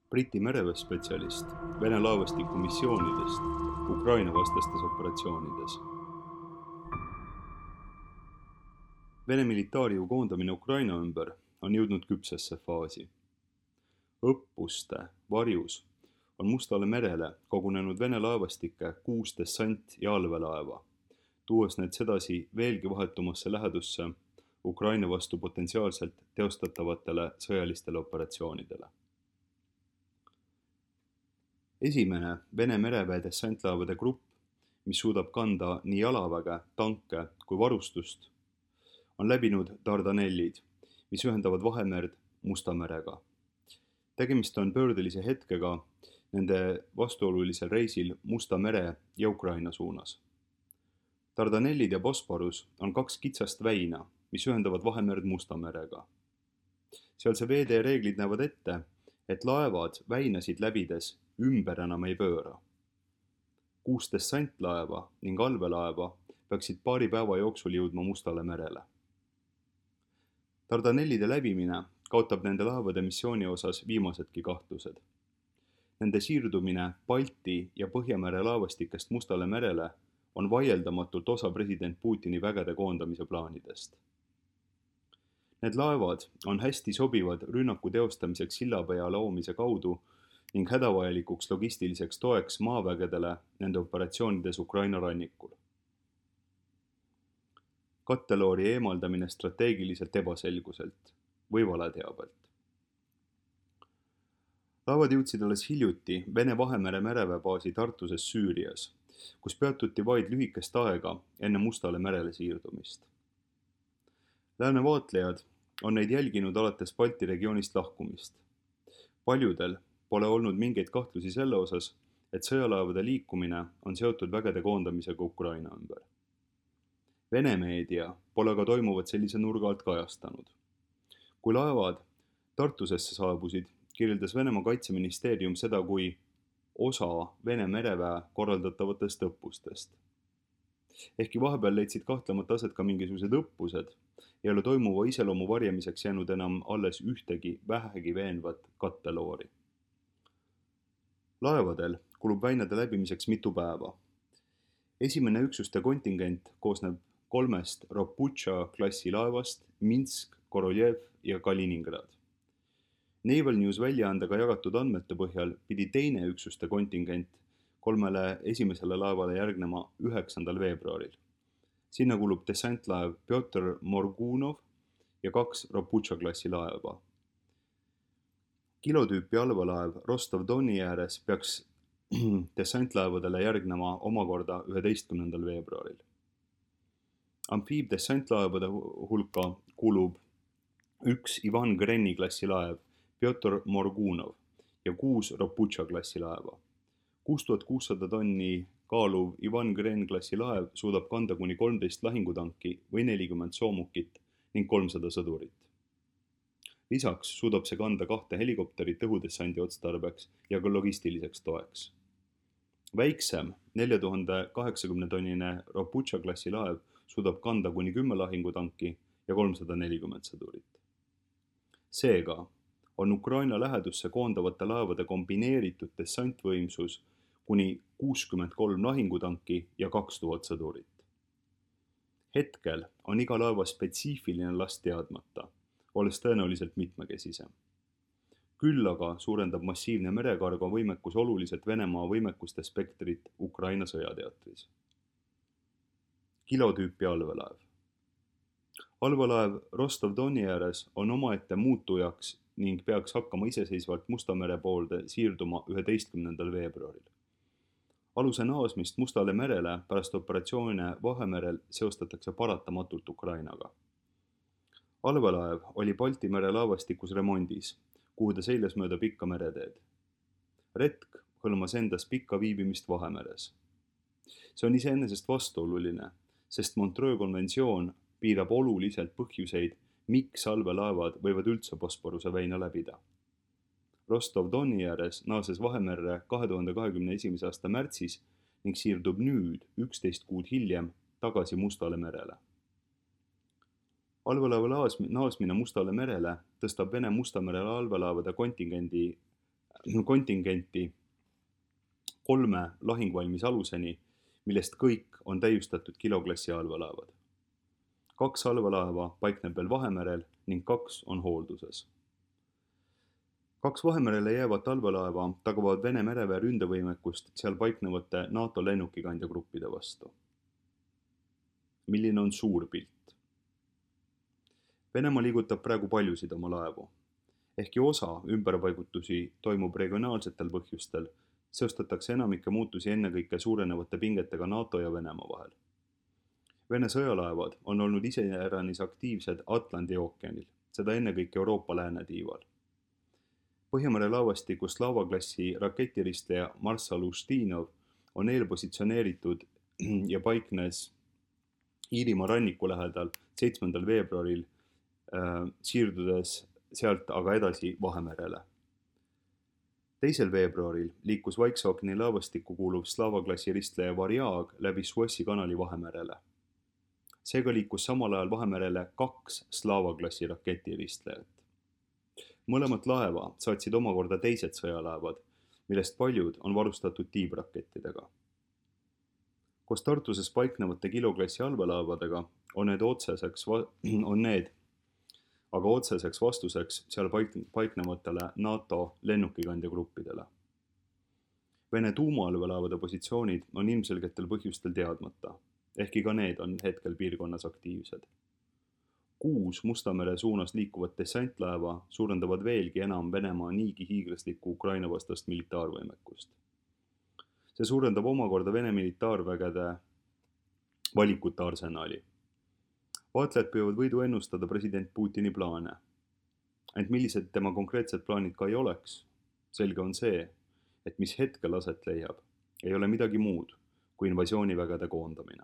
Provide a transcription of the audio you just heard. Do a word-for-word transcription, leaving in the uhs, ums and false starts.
Briti mereväespetsialist Vene laevastiku missioonidest Ukraina vastastes operatsioonides. Vene militaarjõu koondamine Ukraina ümber on jõudnud küpsesse faasi. Õppuste varjus on Mustale merele kogunenud Vene laevastike kuus dessant- ja allveelaeva, tuues need sedasi veelgi vahetumasse lähedusse Ukraina vastu potentsiaalselt teostatavatele sõjalistele operatsioonidele. Esimene Vene mereväe dessantlaevade grupp, mis suudab kanda nii jalaväge, tanke kui varustust, on läbinud Dardanellid, mis ühendavad Vahemerd Musta merega. Tegemist on pöördelise hetkega nende vastuolulisel reisil Musta mere ja Ukraina suunas. Dardanellid ja Bosporus on kaks kitsast väina, mis ühendavad Vahemerd Musta merega. Sealse veetee reeglid näevad ette, et laevad väinasid läbides ümber enam ei pööra. Kuus dessantlaeva ning allveelaeva peaksid paari päeva jooksul jõudma Mustale merele. Dardanellide läbimine kaotab nende laevade missiooni osas viimasedki kahtlused. Nende siirdumine Balti ja Põhjamere laevastikest Mustale merele on vaieldamatult osa president Putini vägede koondamise plaanidest. Need laevad on hästi sobivad rünnaku teostamiseks sillapea loomise kaudu ning hädavajalikuks logistiliseks toeks maavägedele nende operatsioonides Ukraina rannikul. Katteloori eemaldamine strateegiliselt ebaselguselt või valeteabelt. Laevad jõudsid alles hiljuti Vene Vahemere mereväebaasi Tartuses Süürias, kus peatuti vaid lühikest aega enne Mustale merele siirdumist. Lääne vaatlejad on neid jälginud alates Balti regioonist lahkumist. Paljudel pole olnud mingeid kahtlusi selle osas, et sõjalaevade liikumine on seotud vägede koondamisega Ukraina ümber. Vene meedia pole ka toimuvat sellise nurga alt kajastanud. Kui laevad Tartusesse saabusid, kirjeldas Venemaa kaitseministeerium seda kui osa Vene mereväe korraldatavatest õppustest. Ehkki vahepeal leidsid kahtlemata aset ka mingisugused õppused, ei ole toimuva iseloomu varjamiseks jäänud enam alles ühtegi vähegi veenvat katteloori. Laevadel kulub väinade läbimiseks mitu päeva. Esimene üksuste kontingent koosneb kolmest Roputša klassi laevast Minsk, Koroljev ja Kaliningrad. Naval News väljaandega jagatud andmete põhjal pidi teine üksuste kontingent kolmele esimesele laevale järgnema üheksandal veebruaril. Sinna kulub dessantlaev Pjotr Morgunov ja kaks Roputša klassi laeva. Kilotüüpi allveelaev Rostov-Doni ääres peaks dessantlaevadele järgnema omakorda üheteistkümnendal veebruaril. Amfiibdessantlaevade hulka kulub üks Ivan Greni klassi laev Pjotr Morgunov ja kuus Roputša klassi laeva. kuus tuhat kuussada tonni kaaluv Ivan Gren klassi laev suudab kanda kuni kolmteist lahingutanki või nelikümmend soomukit ning kolmsada sõdurit. Lisaks suudab see kanda kahte helikopterit õhudessandi otstarbeks ja ka logistiliseks toeks. Väiksem nelja tuhande kaheksakümne tonnine Roputša klassi laev suudab kanda kuni kümme lahingutanki ja kolmsada nelikümmend sõdurit. Seega on Ukraina lähedusse koondavate laevade kombineeritud dessantvõimsus kuni kuuskümmend kolm lahingutanki ja kaks tuhat sõdurit. Hetkel on iga laeva spetsiifiline last teadmata, olles tõenäoliselt mitmekesisem. Küll aga suurendab massiivne merekargo võimekus oluliselt Venemaa võimekuste spektrit Ukraina sõjateatris. Kilotüüpi allveelaev. Allveelaev Rostov-Doni ääres on omaette muutujaks ning peaks hakkama iseseisvalt Musta mere poolde siirduma üheteistkümnendal veebruaril. Aluse naasmist Mustale merele pärast operatsioone Vahemerel seostatakse paratamatult Ukrainaga. Allveelaev oli Balti mere laevastikus remondis, kuhu ta seiles mööda pikka mereteed. Retk hõlmas endas pikka viibimist Vahemeres. See on iseenesest vastuoluline, sest Montreux konventsioon piirab oluliselt põhjuseid, miks allveelaevad võivad üldse Bosporuse väina läbida. Rostov-Doni ääres naases Vahemerre kahe tuhande kahekümne esimese aasta märtsis ning siirdub nüüd üksteist kuud hiljem tagasi Mustale merele. Allveelaeva naasmine Mustale merele tõstab Vene Musta mere allveelaevade kontingendi kontingenti kolme lahingvalmis aluseni, millest kõik on täiustatud kiloklassi allveelaevad. Kaks allveelaeva paikneb veel Vahemerel ning kaks on hoolduses. Kaks Vahemerele jäävat allveelaeva tagavad Vene mereväe ründevõimekust seal paiknevate NATO lennukikandjagruppide vastu. Milline on suur pilt? Venemaa liigutab praegu paljusid oma laevu. Ehkki osa ümberpaigutusi toimub regionaalsetel põhjustel, seostatakse enamike muutusi ennekõike suurenevate pingetega NATO ja Venemaa vahel. Vene sõjalaevad on olnud iseäranis aktiivsed Atlandi ookeanil, seda ennekõike Euroopa läänetiival. Põhjamere laevastiku Slava-klassi raketiristleja Marssal Ustinov on eelpositsioneeritud ja paiknes Iirimaa ranniku lähedal seitsmendal veebruaril, äh, siirdudes sealt aga edasi Vahemerele. Teisel veebruaril liikus Vaikse ookeani laevastikku kuuluv Slava-klassi ristleja Variag läbi Suessi kanali Vahemerele. Seega liikus samal ajal Vahemerele kaks Slava-klassi raketiristlejat. Mõlemat laeva saatsid omakorda teised sõjalaevad, millest paljud on varustatud tiibrakettidega. Koos Tartuses paiknevate kiloklassi allveelaevadega on need otseseks, on need aga otseseks vastuseks seal paiknevatele NATO lennukikandjagruppidele. Vene tuumaallveelaevade positsioonid on ilmselgetel põhjustel teadmata, ehkki ka need on hetkel piirkonnas aktiivsed. Kuus Mustamere suunas liikuvat dessantlaeva suurendavad veelgi enam Venemaa niigi hiiglaslikku Ukraina vastast militaarvõimekust. See suurendab omakorda Vene militaarvägede valikute arsenali. Vaatlejad püüavad võidu ennustada president Putini plaane. Ent millised tema konkreetsed plaanid ka ei oleks, selge on see, et mis hetkel aset leiab, ei ole midagi muud kui invasioonivägede koondamine.